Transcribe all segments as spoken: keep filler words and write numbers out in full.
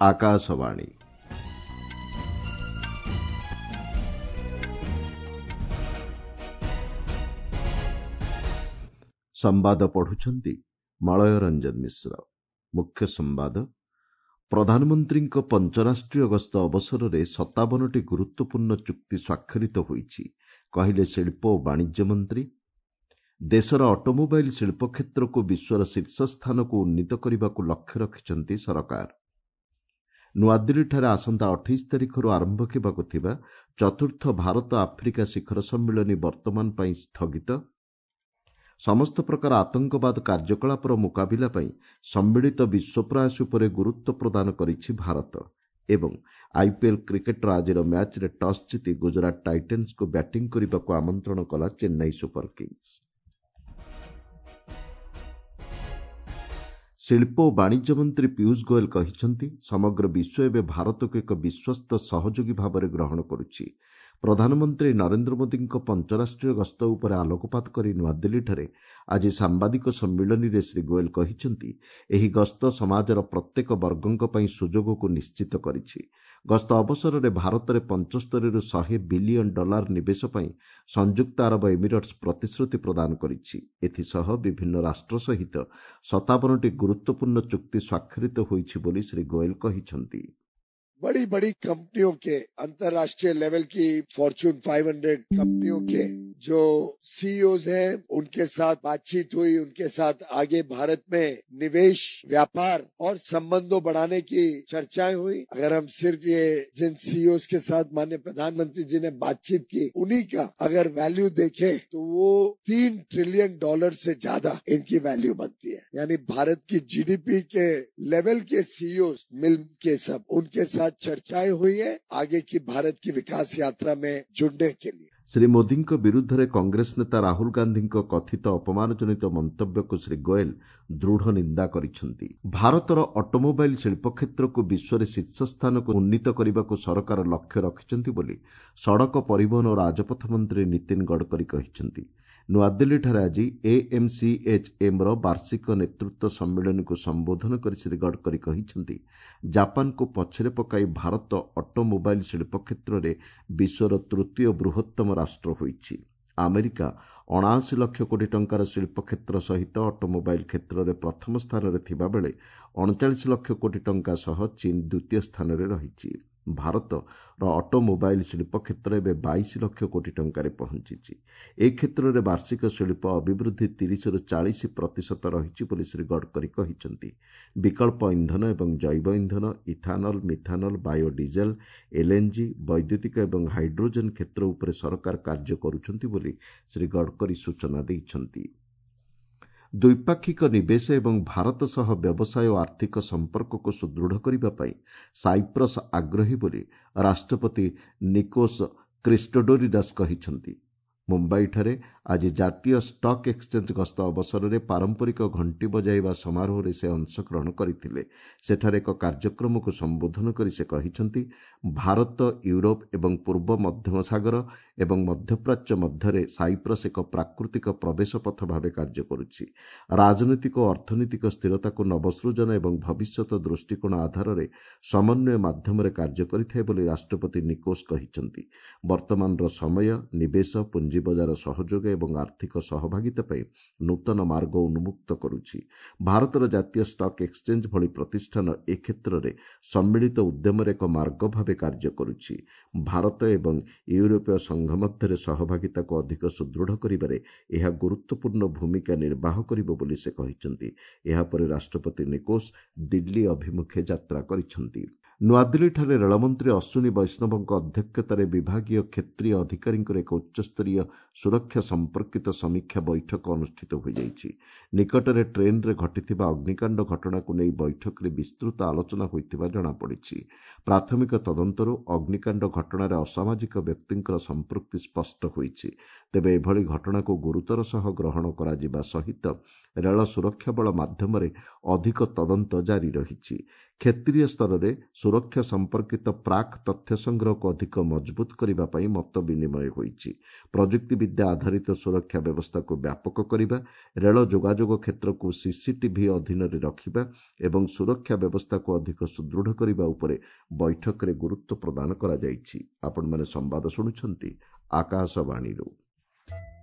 ଆକାଶବାଣୀ। ସମ୍ବାଦ ପଢୁଛନ୍ତି ମଳୟ ରଞ୍ଜନ ମିଶ୍ର। ମୁଖ୍ୟ ସମ୍ବାଦ, ପ୍ରଧାନମନ୍ତ୍ରୀଙ୍କ ପଞ୍ଚରାଷ୍ଟ୍ରୀୟ ଗସ୍ତ ଅବସରରେ ସତାବନଟି ଗୁରୁତ୍ୱପୂର୍ଣ୍ଣ ଚୁକ୍ତି ସ୍ୱାକ୍ଷରିତ ହୋଇଛି, କହିଲେ ଶିଳ୍ପ ଓ ବାଣିଜ୍ୟ ମନ୍ତ୍ରୀ। ଦେଶର ଅଟୋମୋବାଇଲ୍ ଶିଳ୍ପ କ୍ଷେତ୍ରକୁ ବିଶ୍ୱର ଶୀର୍ଷ ସ୍ଥାନକୁ ଉନ୍ନୀତ କରିବାକୁ ଲକ୍ଷ୍ୟ ରଖିଛନ୍ତି ସରକାର। ନୂଆଦିଲ୍ଲୀଠାରେ ଆସନ୍ତା ଅଠେଇଶ ତାରିଖରୁ ଆରମ୍ଭ ହେବାକୁ ଥିବା ଚତୁର୍ଥ ଭାରତ ଆଫ୍ରିକା ଶିଖର ସମ୍ମିଳନୀ ବର୍ତ୍ତମାନ ପାଇଁ ସ୍ଥଗିତ। ସମସ୍ତ ପ୍ରକାର ଆତଙ୍କବାଦ କାର୍ଯ୍ୟକଳାପର ମୁକାବିଲା ପାଇଁ ସମ୍ମିଳିତ ବିଶ୍ୱ ପ୍ରୟାସ ଉପରେ ଗୁରୁତ୍ୱ ପ୍ରଦାନ କରିଛି ଭାରତ। ଏବଂ ଆଇପିଏଲ୍ କ୍ରିକେଟ୍ର ଆଜିର ମ୍ୟାଚ୍ରେ ଟସ୍ ଜିତି ଗୁଜରାଟ ଟାଇଟନ୍ସକୁ ବ୍ୟାଟିଂ କରିବାକୁ ଆମନ୍ତ୍ରଣ କଲା ଚେନ୍ନାଇ ସୁପର କିଙ୍ଗସ୍। ଶିଳ୍ପ ଓ ବାଣିଜ୍ୟ ମନ୍ତ୍ରୀ ପୀୟୁଷ ଗୋଏଲ କହିଛନ୍ତି, ସମଗ୍ର ବିଶ୍ୱ ଏବେ ଭାରତକୁ ଏକ ବିଶ୍ୱସ୍ତ ସହଯୋଗୀ ଭାବରେ ଗ୍ରହଣ କରୁଛି। ପ୍ରଧାନମନ୍ତ୍ରୀ ନରେନ୍ଦ୍ର ମୋଦିଙ୍କ ପଞ୍ଚରାଷ୍ଟ୍ରୀୟ ଗସ୍ତ ଉପରେ ଆଲୋକପାତ କରି ନୂଆଦିଲ୍ଲୀଠାରେ ଆଜି ସାମ୍ବାଦିକ ସମ୍ମିଳନୀରେ ଶ୍ରୀ ଗୋଏଲ କହିଛନ୍ତି, ଏହି ଗସ୍ତ ସମାଜର ପ୍ରତ୍ୟେକ ବର୍ଗଙ୍କ ପାଇଁ ସୁଯୋଗକୁ ନିଶ୍ଚିତ କରିଛି। ଗସ୍ତ ଅବସରରେ ଭାରତରେ ପଞ୍ଚସ୍ତରୀରୁ ଶହେ ବିଲିୟନ ଡଲାର ନିବେଶ ପାଇଁ ସଂଯୁକ୍ତ ଆରବ ଏମିରେଟ୍ସ ପ୍ରତିଶ୍ରୁତି ପ୍ରଦାନ କରିଛି। ଏଥିସହ ବିଭିନ୍ନ ରାଷ୍ଟ୍ର ସହିତ ସତାବନଟି ଗୁରୁତ୍ୱପୂର୍ଣ୍ଣ ଚୁକ୍ତି ସ୍ୱାକ୍ଷରିତ ହୋଇଛି ବୋଲି ଶ୍ରୀ ଗୋଏଲ କହିଛନ୍ତି। बड़ी बड़ी कंपनियों के अंतर्राष्ट्रीय लेवल की फॉर्चून पाँच सौ कंपनियों के जो सीईओज हैं उनके साथ बातचीत हुई, उनके साथ आगे भारत में निवेश, व्यापार और संबंधों बढ़ाने की चर्चाएं हुई। अगर हम सिर्फ ये जिन सीईओज के साथ माननीय प्रधानमंत्री जी ने बातचीत की उन्हीं का अगर वैल्यू देखें तो वो तीन ट्रिलियन डॉलर से ज्यादा इनकी वैल्यू बनती है। यानी भारत की जीडीपी के लेवल के सीईओज मिल के सब उनके साथ चर्चाएं हुई है आगे की भारत की विकास यात्रा में जुड़ने के लिए। ଶ୍ରୀ ମୋଦିଙ୍କ ବିରୁଦ୍ଧରେ କଂଗ୍ରେସ ନେତା ରାହୁଲ ଗାନ୍ଧୀଙ୍କ କଥିତ ଅପମାନଜନିତ ମନ୍ତବ୍ୟକୁ ଶ୍ରୀ ଗୋଏଲ ଦୃଢ଼ ନିନ୍ଦା କରିଛନ୍ତି। ଭାରତର ଅଟୋମୋବାଇଲ୍ ଶିଳ୍ପ କ୍ଷେତ୍ରକୁ ବିଶ୍ୱରେ ଶୀର୍ଷ ସ୍ଥାନକୁ ଉନ୍ନୀତ କରିବାକୁ ସରକାର ଲକ୍ଷ୍ୟ ରଖିଛନ୍ତି ବୋଲି ସଡ଼କ ପରିବହନ ଓ ରାଜପଥ ମନ୍ତ୍ରୀ ନୀତିନ ଗଡ଼କରୀ କହିଛନ୍ତି। ନୂଆଦିଲ୍ଲୀଠାରେ ଆଜି ଏଏମ୍ସିଏଚ୍ଏମ୍ର ବାର୍ଷିକ ନେତୃତ୍ୱ ସମ୍ମିଳନୀକୁ ସମ୍ବୋଧନ କରି ଶ୍ରୀ ଗଡ଼କରୀ କହିଛନ୍ତି, ଜାପାନକୁ ପଛରେ ପକାଇ ଭାରତ ଅଟୋମୋବାଇଲ୍ ଶିଳ୍ପ କ୍ଷେତ୍ରରେ ବିଶ୍ୱର ତୃତୀୟ ବୃହତ୍ତମ ରାଷ୍ଟ୍ର ହୋଇଛି। ଆମେରିକା ଅଣାଅଶୀ ଲକ୍ଷ କୋଟି ଟଙ୍କାର ଶିଳ୍ପ କ୍ଷେତ୍ର ସହିତ ଅଟୋମୋବାଇଲ୍ କ୍ଷେତ୍ରରେ ପ୍ରଥମ ସ୍ଥାନରେ ଥିବାବେଳେ ଅଣଚାଳିଶ ଲକ୍ଷ କୋଟି ଟଙ୍କା ସହ ଚୀନ୍ ଦ୍ୱିତୀୟ ସ୍ଥାନରେ ରହିଛି। ଭାରତର ଅଟୋମୋବାଇଲ୍ ଶିଳ୍ପ କ୍ଷେତ୍ର ଏବେ ବାଇଶ ଲକ୍ଷ କୋଟି ଟଙ୍କାରେ ପହଞ୍ଚିଛି। ଏ କ୍ଷେତ୍ରରେ ବାର୍ଷିକ ଶିଳ୍ପ ଅଭିବୃଦ୍ଧି ତିରିଶରୁ ଚାଳିଶ ପ୍ରତିଶତ ରହିଛି ବୋଲି ଶ୍ରୀ ଗଡ଼କରୀ କହିଛନ୍ତି। ବିକଳ୍ପ ଇନ୍ଧନ ଏବଂ ଜୈବ ଇନ୍ଧନ, ଇଥାନଲ, ମିଥାନଲ, ବାୟୋଡିଜେଲ, ଏଲ୍ଏନ୍ଜି, ବୈଦ୍ୟୁତିକ ଏବଂ ହାଇଡ୍ରୋଜେନ୍ କ୍ଷେତ୍ର ଉପରେ ସରକାର କାର୍ଯ୍ୟ କରୁଛନ୍ତି ବୋଲି ଶ୍ରୀ ଗଡ଼କରୀ ସୂଚନା ଦେଇଛନ୍ତି। ଦ୍ୱିପାକ୍ଷିକ ନିବେଶ ଏବଂ ଭାରତ ସହ ବ୍ୟବସାୟ ଓ ଆର୍ଥିକ ସମ୍ପର୍କକୁ ସୁଦୃଢ଼ କରିବା ପାଇଁ ସାଇପ୍ରସ୍ ଆଗ୍ରହୀ ବୋଲି ରାଷ୍ଟ୍ରପତି ନିକୋସ୍ କ୍ରିଷ୍ଟୋଡୋଲିଡସ୍ କହିଛନ୍ତି। ମୁମ୍ବାଇଠାରେ ଆଜି ଜାତୀୟ ଷ୍ଟକ୍ ଏକ୍ସଚେଞ୍ଜ ଗସ୍ତ ଅବସରରେ ପାରମ୍ପରିକ ଘଣ୍ଟି ବଜାଇବା ସମାରୋହରେ ସେ ଅଂଶଗ୍ରହଣ କରିଥିଲେ। ସେଠାରେ ଏକ କାର୍ଯ୍ୟକ୍ରମକୁ ସମ୍ବୋଧନ କରି ସେ କହିଛନ୍ତି, ଭାରତ, ୟୁରୋପ ଏବଂ ପୂର୍ବ ମଧ୍ୟମ ସାଗର ଏବଂ ମଧ୍ୟପ୍ରାଚ୍ୟ ମଧ୍ୟରେ ସାଇପ୍ରସ୍ ଏକ ପ୍ରାକୃତିକ ପ୍ରବେଶ ପଥ ଭାବେ କାର୍ଯ୍ୟ କରୁଛି। ରାଜନୈତିକ ଓ ଅର୍ଥନୈତିକ ସ୍ଥିରତାକୁ ନବସୃଜନ ଏବଂ ଭବିଷ୍ୟତ ଦୃଷ୍ଟିକୋଣ ଆଧାରରେ ସମନ୍ୱୟ ମାଧ୍ୟମରେ କାର୍ଯ୍ୟ କରିଥାଏ ବୋଲି ରାଷ୍ଟ୍ରପତି ନିକୋସ୍ କହିଛନ୍ତି। ବର୍ତ୍ତମାନର ସମୟ ନିବେଶ, ପୁଞ୍ଜି ବଜାର ସହଯୋଗ ଏବଂ ଆର୍ଥିକ ସହଭାଗିତା ପାଇଁ ନୂତନ ମାର୍ଗ ଉନ୍ମୁକ୍ତ କରୁଛି। ଭାରତର ଜାତୀୟ ଷ୍ଟକ୍ ଏକ୍ସଚେଞ୍ଜ ଭଳି ପ୍ରତିଷ୍ଠାନ ଏ କ୍ଷେତ୍ରରେ ସମ୍ମିଳିତ ଉଦ୍ୟମରେ ଏକ ମାର୍ଗ ଭାବେ କାର୍ଯ୍ୟ କରୁଛି। ଭାରତ ଏବଂ ୟୁରୋପୀୟ ସଂଘ ମଧ୍ୟରେ ସହଭାଗିତାକୁ ଅଧିକ ସୁଦୃଢ଼ କରିବାରେ ଏହା ଗୁରୁତ୍ୱପୂର୍ଣ୍ଣ ଭୂମିକା ନିର୍ବାହ କରିବ ବୋଲି ସେ କହିଛନ୍ତି। ଏହାପରେ ରାଷ୍ଟ୍ରପତି ନିକୋସ୍ ଦିଲ୍ଲୀ ଅଭିମୁଖେ ଯାତ୍ରା କରିଛନ୍ତି। ନୂଆଦିଲ୍ଲୀଠାରେ ରେଳମନ୍ତ୍ରୀ ଅଶ୍ୱିନୀ ବୈଷ୍ଣବଙ୍କ ଅଧ୍ୟକ୍ଷତାରେ ବିଭାଗୀୟ କ୍ଷେତ୍ରୀୟ ଅଧିକାରୀଙ୍କର ଏକ ଉଚ୍ଚସ୍ତରୀୟ ସୁରକ୍ଷା ସମ୍ପର୍କିତ ସମୀକ୍ଷା ବୈଠକ ଅନୁଷ୍ଠିତ ହୋଇଯାଇଛି। ନିକଟରେ ଟ୍ରେନ୍ରେ ଘଟିଥିବା ଅଗ୍ନିକାଣ୍ଡ ଘଟଣାକୁ ନେଇ ବୈଠକରେ ବିସ୍ତୃତ ଆଲୋଚନା ହୋଇଥିବା ଜଣାପଡ଼ିଛି। ପ୍ରାଥମିକ ତଦନ୍ତରୁ ଅଗ୍ନିକାଣ୍ଡ ଘଟଣାରେ ଅସାମାଜିକ ବ୍ୟକ୍ତିଙ୍କର ସମ୍ପୃକ୍ତି ସ୍ପଷ୍ଟ ହୋଇଛି। ତେବେ ଏଭଳି ଘଟଣାକୁ ଗୁରୁତର ସହ ଗ୍ରହଣ କରାଯିବା ସହିତ ରେଳ ସୁରକ୍ଷା ବଳ ମାଧ୍ୟମରେ ଅଧିକ ତଦନ୍ତ ଜାରି ରହିଛି। କ୍ଷେତ୍ରୀୟ ସ୍ତରରେ ସୁରକ୍ଷା ସମ୍ପର୍କିତ ପ୍ରାକ୍ ତଥ୍ୟ ସଂଗ୍ରହକୁ ଅଧିକ ମଜବୁତ କରିବା ପାଇଁ ମତ ବିନିମୟ ହୋଇଛି। ପ୍ରଯୁକ୍ତିବିଦ୍ୟା ଆଧାରିତ ସୁରକ୍ଷା ବ୍ୟବସ୍ଥାକୁ ବ୍ୟାପକ କରିବା, ରେଳ ଯୋଗାଯୋଗ କ୍ଷେତ୍ରକୁ ସିସିଟିଭି ଅଧୀନରେ ରଖିବା ଏବଂ ସୁରକ୍ଷା ବ୍ୟବସ୍ଥାକୁ ଅଧିକ ସୁଦୃଢ଼ କରିବା ଉପରେ ବୈଠକରେ ଗୁରୁତ୍ୱ ପ୍ରଦାନ କରାଯାଇଛି। ଆପଣମାନେ ସମ୍ବାଦ ଶୁଣୁଛନ୍ତି ଆକାଶବାଣୀରୁ।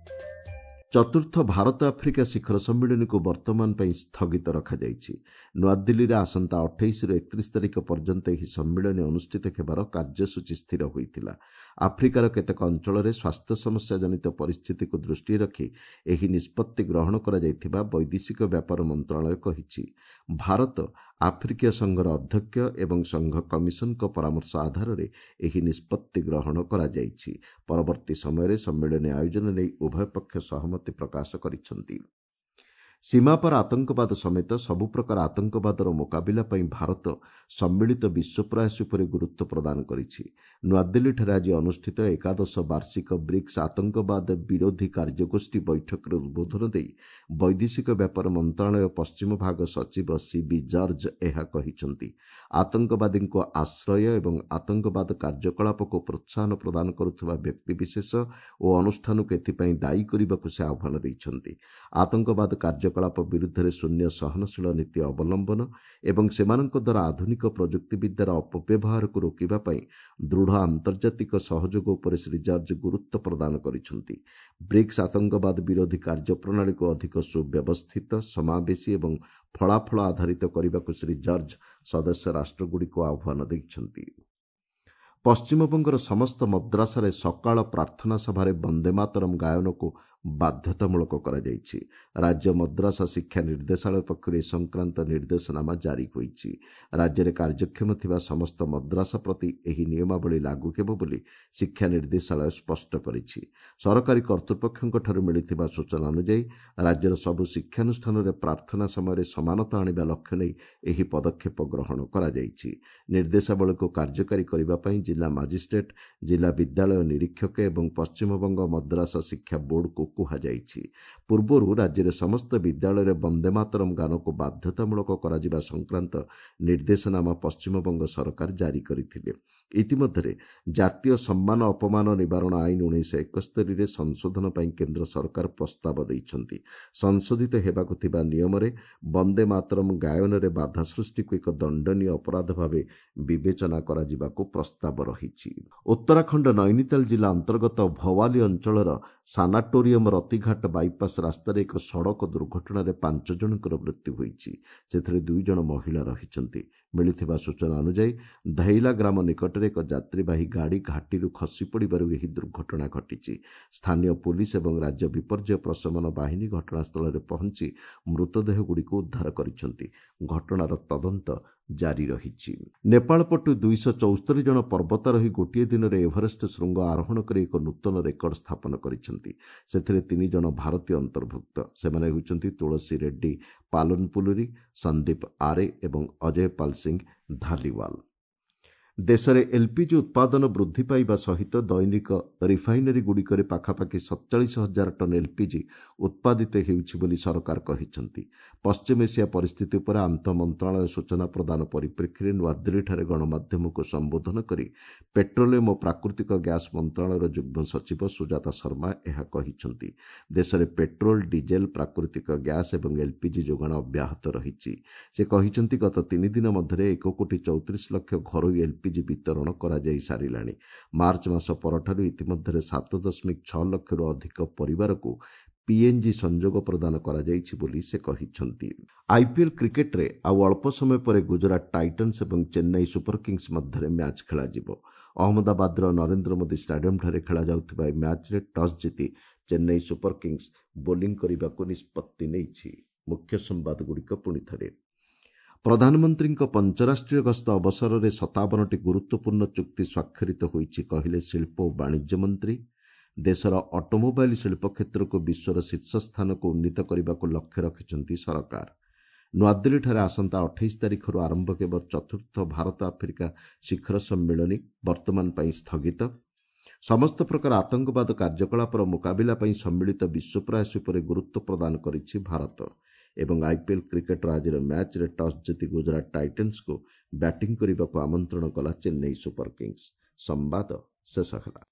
ଚତୁର୍ଥ ଭାରତ ଆଫ୍ରିକା ଶିଖର ସମ୍ମିଳନୀକୁ ବର୍ତ୍ତମାନ ପାଇଁ ସ୍ଥଗିତ ରଖାଯାଇଛି। ନୂଆଦିଲ୍ଲୀରେ ଆସନ୍ତା ଅଠେଇଶରୁ ଏକତିରିଶ ତାରିଖ ପର୍ଯ୍ୟନ୍ତ ଏହି ସମ୍ମିଳନୀ ଅନୁଷ୍ଠିତ ହେବାର କାର୍ଯ୍ୟସୂଚୀ ସ୍ଥିର ହୋଇଥିଲା। ଆଫ୍ରିକାର କେତେକ ଅଞ୍ଚଳରେ ସ୍ୱାସ୍ଥ୍ୟ ସମସ୍ୟା ଜନିତ ପରିସ୍ଥିତିକୁ ଦୃଷ୍ଟିରେ ରଖି ଏହି ନିଷ୍ପତ୍ତି ଗ୍ରହଣ କରାଯାଇଥିବା ବୈଦେଶିକ ବ୍ୟାପାର ମନ୍ତ୍ରଣାଳୟ କହିଛି। ଭାରତ ଆଫ୍ରିକୀୟ ସଂଘର ଅଧ୍ୟକ୍ଷ ଏବଂ ସଂଘ କମିଶନଙ୍କ ପରାମର୍ଶ ଆଧାରରେ ଏହି ନିଷ୍ପତ୍ତି ଗ୍ରହଣ କରାଯାଇଛି। ପରବର୍ତ୍ତୀ ସମୟରେ ସମ୍ମିଳନୀ ଆୟୋଜନ ନେଇ ଉଭୟ ପକ୍ଷ ସହମତି ପ୍ରକାଶ କରିଛନ୍ତି। ସୀମାପାର ଆତଙ୍କବାଦ ସମେତ ସବୁ ପ୍ରକାର ଆତଙ୍କବାଦର ମୁକାବିଲା ପାଇଁ ଭାରତ ସମ୍ମିଳିତ ବିଶ୍ୱ ପ୍ରୟାସ ଉପରେ ଗୁରୁତ୍ୱ ପ୍ରଦାନ କରିଛି। ନୂଆଦିଲ୍ଲୀଠାରେ ଆଜି ଅନୁଷ୍ଠିତ ଏକାଦଶ ବାର୍ଷିକ ବ୍ରିକ୍ସ ଆତଙ୍କବାଦ ବିରୋଧୀ କାର୍ଯ୍ୟଗୋଷ୍ଠୀ ବୈଠକରେ ଉଦ୍ବୋଧନ ଦେଇ ବୈଦେଶିକ ବ୍ୟାପାର ମନ୍ତ୍ରଣାଳୟ ପଶ୍ଚିମ ଭାଗ ସଚିବ ସିବି ଜର୍ଜ ଏହା କହିଛନ୍ତି। ଆତଙ୍କବାଦୀଙ୍କୁ ଆଶ୍ରୟ ଏବଂ ଆତଙ୍କବାଦ କାର୍ଯ୍ୟକଳାପକୁ ପ୍ରୋତ୍ସାହନ ପ୍ରଦାନ କରୁଥିବା ବ୍ୟକ୍ତିବିଶେଷ ଓ ଅନୁଷ୍ଠାନକୁ ଏଥିପାଇଁ ଦାୟୀ କରିବାକୁ ସେ ଆହ୍ୱାନ ଦେଇଛନ୍ତି। ଆତଙ୍କବାଦ କାର୍ଯ୍ୟ କାର୍ଯ୍ୟକଳାପ ବିରୁଦ୍ଧରେ ଶୂନ୍ୟ ସହନଶୀଳ ନୀତି ଅବଲମ୍ବନ ଏବଂ ସେମାନଙ୍କ ଦ୍ୱାରା ଆଧୁନିକ ପ୍ରଯୁକ୍ତିବିଦ୍ୟାର ଅପବ୍ୟବହାରକୁ ରୋକିବା ପାଇଁ ଦୃଢ଼ ଆନ୍ତର୍ଜାତିକ ସହଯୋଗ ଉପରେ ଶ୍ରୀ ଜର୍ଜ ଗୁରୁତ୍ୱ ପ୍ରଦାନ କରିଛନ୍ତି। ବ୍ରିକ୍ସ ଆତଙ୍କବାଦ ବିରୋଧୀ କାର୍ଯ୍ୟପ୍ରଣାଳୀକୁ ଅଧିକ ସୁବ୍ୟବସ୍ଥିତ, ସମାବେଶୀ ଏବଂ ଫଳାଫଳ ଆଧାରିତ କରିବାକୁ ଶ୍ରୀ ଜର୍ଜ ସଦସ୍ୟ ରାଷ୍ଟ୍ରଗୁଡ଼ିକୁ ଆହ୍ୱାନ ଦେଇଛନ୍ତି। ପଶ୍ଚିମବଙ୍ଗର ସମସ୍ତ ମଦ୍ରାସାରେ ସକାଳ ପ୍ରାର୍ଥନା ସଭାରେ ବନ୍ଦେ ମାତରମ୍ ଗାୟନକୁ ବାଧ୍ୟତାମୂଳକ କରାଯାଇଛି। ରାଜ୍ୟ ମଦ୍ରାସା ଶିକ୍ଷା ନିର୍ଦ୍ଦେଶାଳୟ ପକ୍ଷରୁ ଏ ସଂକ୍ରାନ୍ତ ନିର୍ଦ୍ଦେଶନାମା ଜାରି ହୋଇଛି। ରାଜ୍ୟରେ କାର୍ଯ୍ୟକ୍ଷମ ଥିବା ସମସ୍ତ ମଦ୍ରାସା ପ୍ରତି ଏହି ନିୟମାବଳୀ ଲାଗୁ ହେବ ବୋଲି ଶିକ୍ଷା ନିର୍ଦ୍ଦେଶାଳୟ ସ୍ପଷ୍ଟ କରିଛି। ସରକାରୀ କର୍ତ୍ତୃପକ୍ଷଙ୍କଠାରୁ ମିଳିଥିବା ସୂଚନା ଅନୁଯାୟୀ ରାଜ୍ୟର ସବୁ ଶିକ୍ଷାନୁଷ୍ଠାନରେ ପ୍ରାର୍ଥନା ସମୟରେ ସମାନତା ଆଣିବା ଲକ୍ଷ୍ୟ ନେଇ ଏହି ପଦକ୍ଷେପ ଗ୍ରହଣ କରାଯାଇଛି। ନିର୍ଦ୍ଦେଶାବଳୀକୁ କାର୍ଯ୍ୟକାରୀ କରିବା ପାଇଁ ଜିଲ୍ଲା ମାଜିଷ୍ଟ୍ରେଟ୍, ଜିଲ୍ଲା ବିଦ୍ୟାଳୟ ନିରୀକ୍ଷକ ଏବଂ ପଶ୍ଚିମବଙ୍ଗ ମଦ୍ରାସା ଶିକ୍ଷା ବୋର୍ଡକୁ କୁହାଯାଇଛି। ପୂର୍ବରୁ ରାଜ୍ୟରେ ସମସ୍ତ ବିଦ୍ୟାଳୟରେ ବନ୍ଦେ ମାତରମ୍ ଗାନକୁ ବାଧ୍ୟତାମୂଳକ କରାଯିବା ସଂକ୍ରାନ୍ତ ନିର୍ଦ୍ଦେଶନାମା ପଶ୍ଚିମବଙ୍ଗ ସରକାର ଜାରି କରିଥିଲେ। ଇତିମଧ୍ୟରେ ଜାତୀୟ ସମ୍ମାନ ଅପମାନ ନିବାରଣ ଆଇନ ଉଣେଇଶହ ଏକସ୍ତରୀରେ ସଂଶୋଧନ ପାଇଁ କେନ୍ଦ୍ର ସରକାର ପ୍ରସ୍ତାବ ଦେଇଛନ୍ତି। ସଂଶୋଧିତ ହେବାକୁ ଥିବା ନିୟମରେ ବନ୍ଦେ ମାତରମ୍ ଗାୟନରେ ବାଧା ସୃଷ୍ଟିକୁ ଏକ ଦଣ୍ଡନୀୟ ଅପରାଧ ଭାବେ ବିବେଚନା କରାଯିବାକୁ ପ୍ରସ୍ତାବ ରହିଛି। ଉତ୍ତରାଖଣ୍ଡ ନୈନିତାଲ ଜିଲ୍ଲା ଅନ୍ତର୍ଗତ ଭୱାଲି ଅଞ୍ଚଳର ସାନାଟୋରିୟମ ରତିଘାଟ ବାଇପାସ୍ ରାସ୍ତାରେ ଏକ ସଡ଼କ ଦୁର୍ଘଟଣାରେ ପାଞ୍ଚ ଜଣଙ୍କର ମୃତ୍ୟୁ ହୋଇଛି। ସେଥିରେ ଦୁଇ ଜଣ ମହିଳା ରହିଛନ୍ତି। ମିଳିଥିବା ସୂଚନା ଅନୁଯାୟୀ ଧୈଲା ଗ୍ରାମ ନିକଟରେ ଏକ ଯାତ୍ରୀବାହୀ ଗାଡ଼ି ଘାଟିରୁ ଖସି ପଡ଼ିବାରୁ ଏହି ଦୁର୍ଘଟଣା ଘଟିଛି। ସ୍ଥାନୀୟ ପୋଲିସ ଏବଂ ରାଜ୍ୟ ବିପର୍ଯ୍ୟୟ ପ୍ରଶମନ ବାହିନୀ ଘଟଣାସ୍ଥଳରେ ପହଞ୍ଚି ମୃତଦେହଗୁଡ଼ିକୁ ଉଦ୍ଧାର କରିଛନ୍ତି। ଘଟଣାର ତଦନ୍ତ ଜାରି ରହିଛି। ନେପାଳ ପଟୁ ଦୁଇଶହ ଚଉସ୍ତରୀ ଜଣ ପର୍ବତାରୋହୀ ଗୋଟିଏ ଦିନରେ ଏଭରେଷ୍ଟ ଶୃଙ୍ଗ ଆରୋହଣ କରି ଏକ ନୂତନ ରେକର୍ଡ ସ୍ଥାପନ କରିଛନ୍ତି। ସେଥିରେ ତିନି ଜଣ ଭାରତୀୟ ଅନ୍ତର୍ଭୁକ୍ତ। ସେମାନେ ହେଉଛନ୍ତି ତୁଳସୀ ରେଡ୍ଡି ପାଲନପୁଲୁରୀ, ସନ୍ଦୀପ ଆରେ ଏବଂ ଅଜୟ ପାଲ ସିଂ ଧାଲିୱାଲ। ଦେଶରେ ଏଲ୍ପିଜି ଉତ୍ପାଦନ ବୃଦ୍ଧି ପାଇବା ସହିତ ଦୈନିକ ରିଫାଇନାରୀଗୁଡ଼ିକରେ ପାଖାପାଖି ସତଚାଳିଶ ହଜାର ଟନ୍ ଏଲ୍ପିଜି ଉତ୍ପାଦିତ ହେଉଛି ବୋଲି ସରକାର କହିଛନ୍ତି। ପଶ୍ଚିମ ଏସିଆ ପରିସ୍ଥିତି ଉପରେ ଆନ୍ତଃ ମନ୍ତ୍ରଣାଳୟ ସୂଚନା ପ୍ରଦାନ ପରିପ୍ରେକ୍ଷୀରେ ନୂଆଦିଲ୍ଲୀଠାରେ ଗଣମାଧ୍ୟମକୁ ସମ୍ବୋଧନ କରି ପେଟ୍ରୋଲିୟମ ଓ ପ୍ରାକୃତିକ ଗ୍ୟାସ୍ ମନ୍ତ୍ରଣାଳୟର ଯୁଗ୍ମ ସଚିବ ସୁଜାତା ଶର୍ମା ଏହା କହିଛନ୍ତି। ଦେଶରେ ପେଟ୍ରୋଲ, ଡିଜେଲ, ପ୍ରାକୃତିକ ଗ୍ୟାସ୍ ଏବଂ ଏଲ୍ପିଜି ଯୋଗାଣ ଅବ୍ୟାହତ ରହିଛି। ସେ କହିଛନ୍ତି, ଗତ ତିନି ଦିନ ମଧ୍ୟରେ ଏକ କୋଟି ଚଉତିରିଶ ଲକ୍ଷ ଘରୋଇ ଏଲ୍ପିଜି ବିତରଣ କରାଯାଇ ସାରିଲାଣି। ମାର୍ଚ୍ଚ ମାସ ପରଠାରୁ ଇତିମଧ୍ୟରେ ସାତ ଦଶମିକ ଛଅ ଲକ୍ଷରୁ ଅଧିକ ପରିବାରକୁ ପିଏନ୍ଜି ସଂଯୋଗ ପ୍ରଦାନ କରାଯାଇଛି ବୋଲି ସେ କହିଛନ୍ତି। ଆଇପିଏଲ୍ କ୍ରିକେଟ୍ରେ ଆଉ ଅଳ୍ପ ସମୟ ପରେ ଗୁଜରାଟ ଟାଇଟନ୍ସ ଏବଂ ଚେନ୍ନାଇ ସୁପର କିଙ୍ଗସ୍ ମଧ୍ୟରେ ମ୍ୟାଚ୍ ଖେଳାଯିବ। ଅହମ୍ମଦାବାଦର ନରେନ୍ଦ୍ର ମୋଦି ଷ୍ଟାଡିୟମଠାରେ ଖେଳାଯାଉଥିବା ଏହି ମ୍ୟାଚ୍ରେ ଟସ୍ ଜିତି ଚେନ୍ନାଇ ସୁପର କିଙ୍ଗସ୍ ବୋଲିଂ କରିବାକୁ ନିଷ୍ପତ୍ତି ନେଇଛି। ମୁଖ୍ୟ ସମ୍ବାଦଗୁଡ଼ିକ ପୁଣିଥରେ। ପ୍ରଧାନମନ୍ତ୍ରୀଙ୍କ ପଞ୍ଚରାଷ୍ଟ୍ରୀୟ ଗସ୍ତ ଅବସରରେ ସତାବନଟି ଗୁରୁତ୍ୱପୂର୍ଣ୍ଣ ଚୁକ୍ତି ସ୍ୱାକ୍ଷରିତ ହୋଇଛି, କହିଲେ ଶିଳ୍ପ ଓ ବାଣିଜ୍ୟ ମନ୍ତ୍ରୀ। ଦେଶର ଅଟୋମୋବାଇଲ ଶିଳ୍ପ କ୍ଷେତ୍ରକୁ ବିଶ୍ୱର ଶୀର୍ଷ ସ୍ଥାନକୁ ଉନ୍ନୀତ କରିବାକୁ ଲକ୍ଷ୍ୟ ରଖିଛନ୍ତି ସରକାର। ନୂଆଦିଲ୍ଲୀଠାରେ ଆସନ୍ତା ଅଠେଇଶ ତାରିଖରୁ ଆରମ୍ଭ ହେବ ଚତୁର୍ଥ ଭାରତ ଆଫ୍ରିକା ଶିଖର ସମ୍ମିଳନୀ, ବର୍ତ୍ତମାନ ପାଇଁ ସ୍ଥଗିତ। ସମସ୍ତ ପ୍ରକାର ଆତଙ୍କବାଦ କାର୍ଯ୍ୟକଳାପର ମୁକାବିଲା ପାଇଁ ସମ୍ମିଳିତ ବିଶ୍ୱ ପ୍ରୟାସ ଉପରେ ଗୁରୁତ୍ୱ ପ୍ରଦାନ କରିଛି ଭାରତ। ଏବଂ ଆଇପିଏଲ୍ କ୍ରିକେଟ୍ର ଆଜିର ମ୍ୟାଚ୍ରେ ଟସ୍ ଜିତି ଗୁଜରାଟ ଟାଇଟନ୍ସକୁ ବ୍ୟାଟିଂ କରିବାକୁ ଆମନ୍ତ୍ରଣ କଲା ଚେନ୍ନାଇ ସୁପର କିଙ୍ଗସ୍। ସମ୍ବାଦ ଶେଷ ହେଲା।